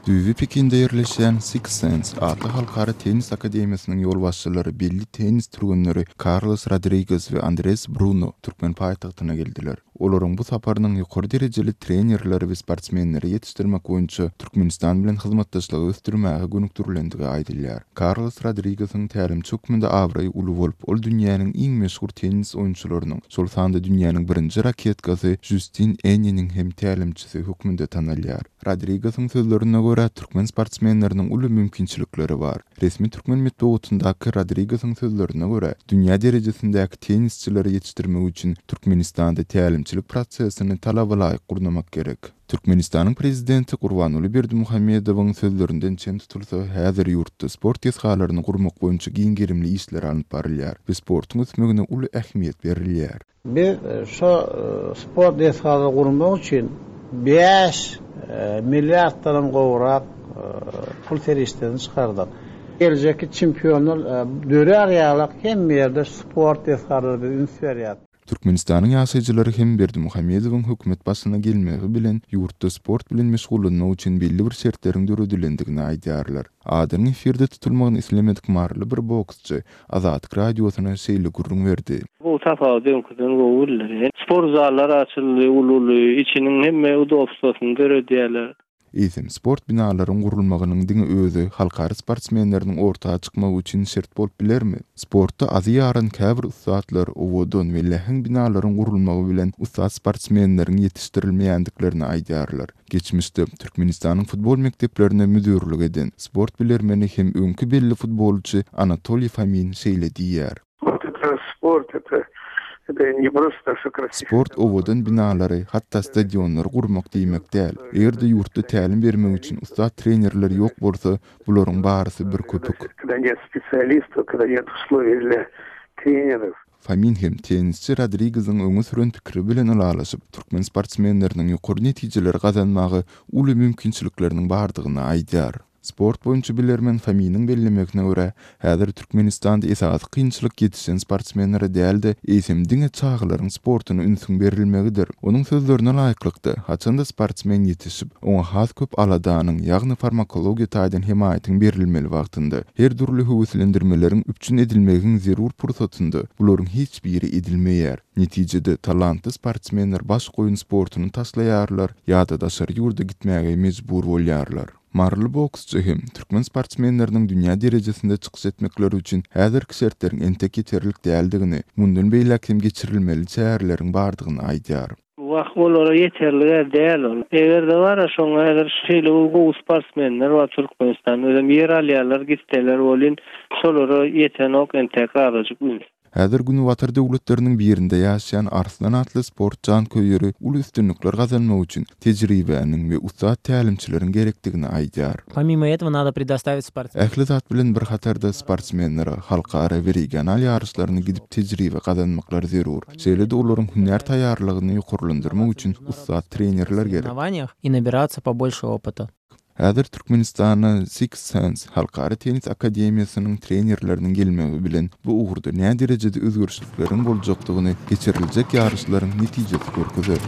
Düýbi Pekinde ýerleşýän Six Sense atly halkara tennis akademiýasynyň ýolbaşçylary belli tennis türgenleri Karlos Rodriges we Andres Bruno türkmen paýtagtyna geldiler. Olaryň bu saparynyň ýokary derejeli trenerleri we sportsmenleri ýetişdirmek boýunça Türkmenistan bilen hyzmatdaşlygy ösdürmäge gönükdirilendigi aýdylýar. Karlos Rodrigesiň tälimçi hökmünde abraýy uly bolup, ol dünýäniň iň meşhur tennis oýunçylarynyň, şol sanda dünýäniň birinji raketkasy Žustin Enniniň hem tälimçisi hökmünde tanalýar. Rodrigesiň sözlerine görä, türkmen sportsmenleriniň uly mümkinçilikleri bar. Resmi türkmen metbugatyndaky Rodrigesiň sözlerine görä, dünýä derejesindäki tennisçileri ýetişdirmek üçin Türkmenistanda tälimçilik prosesini talabalaýyk gurnamak gerek. Türkmenistanyň Prezidenti Gurbanguly Berdimuhamedowyň sözlerinden çen tutulsa, häzir ýurtda sport desgalaryny gurmak boýunça giň gerimli işler alnyp barylýar we sportuň ösmegine uly ähmiýet berilýär. Biz şo sport desgalary gurmak üçin bäş milliarddanam gowrak pul serişdesini çykardyk. Geljekki çempionlar dörär ýalak hemme ýerde sport desgalary biz üns berýäs. Türkmenistanyň ýaşaýjylary hem Berdimuhamedowyň hökümet başyna gelmegi bilen ýurtda sport bilen meşgullanmak üçin belli bir şertleriň döredilendigini aýdýarlar. Adynyň efirde tutulmagyny islemedik maryly bir boksçy Azatlyk Radiosyna şeýle gürrüň berdi. Bu tapawut öňküden gowy bildirýär. Sport zallar açyldy, uly-uly, içiniň hemme udobstwasyny döredýärler. Eýsem, sport binalaryň gurulmagynyň diňe özi halkara sportsmenleriniň orta çykmagy üçin şert bolup bilermi? Sportda azy ýaran käbir ussatlar owadan we läheň binalaryň gurulmagy bilen ussat sportsmenleriň ýetişdirilmeýändiklerini aýdýarlar. Geçmişde Türkmenistanyň futbol mekdeplerine müdirlik eden, sport bilermeni hem öňki belli futbolçy Anatoliý Fomin şeýle diýýär. Sport owadan binalary, hatda stadionlary gurmak diýmek däl. Eger-de ýurtda tälim bermek üçin ussat trenerler ýok bolsa, bularyň barysy bir köpük. Fomin hem tennisçi Rodrigeziň öňe süren pikiri bilen ylalaşyp, türkmen sportsmenleriniň ýokary netijeleri gazanmaga uly mümkinçilikleriniň bardygyny aýdýar. Sport boýunça bilermen Fominiň bellemegine görä, häzir Türkmenistanda esasy kynçylyk ýetişen sportsmenlere däl-de, eýsem diňe çagalaryň sportuna ünsüň berilmegidir. Onuň sözlerine laýyklykda, haçan-da sportsmen ýetişip, oňa has köp aladanyň, ýagny farmakologiýa taýdan hemaýatyň berilmeli wagtynda, her dürli höweslendirmeleriň üpjün edilmegiň zerur pursatynda bularyň hiç biri edilmeýär. Netijede, talantly sportsmenler baş goýun sportuny taşlaýarlar ýa-da daşary ýurda gitmäge mejbur bolýarlar. Maryly boksçy hem türkmen sportsmenleriniň dünýä derejesinde çykyş etmekleri üçin häzirki şertleriň entek ýeterlik däldigini, mundan beýläk hem geçirilmeli çäreleriň bardygyny aýdýar. Wah olara ýeterlig-ä däl ol. Eger-de bar-a şoňa häzir şeýle bir gowy sportsmenler bar Türkmenistanda özem ýer alýarlar gitseler welin şolara ýetenok entäk azajyk üns. Häzir Günbatar döwletleriniň birinde ýaşaýan Arslan atly sport janköýeri uly üstünlikler gazanmak üçin tejribäniň we ussat tälimçileriň gerekdigini aýdýar. Pomimo этого nado predostavit sportsmenam. Ähli zat bilen bir hatarda sportsmenlere halkara we regional ýaryşlaryna gidip tejribe gazanmaklary zerur. Şeýle-de olaryň hünär taýýarlygyny ýokarlandyrmak üçin ussat trenerler gerek. I nabirаться побольше опыта. Häzir Türkmenistana Six Sense halkara tennis akademiýasynyň trenerleriniň gelmegi bilen bu ugurda näderejede özgerişlikleriň boljakdygyny geçiriljek ýaryşlaryň netijesi görkezer.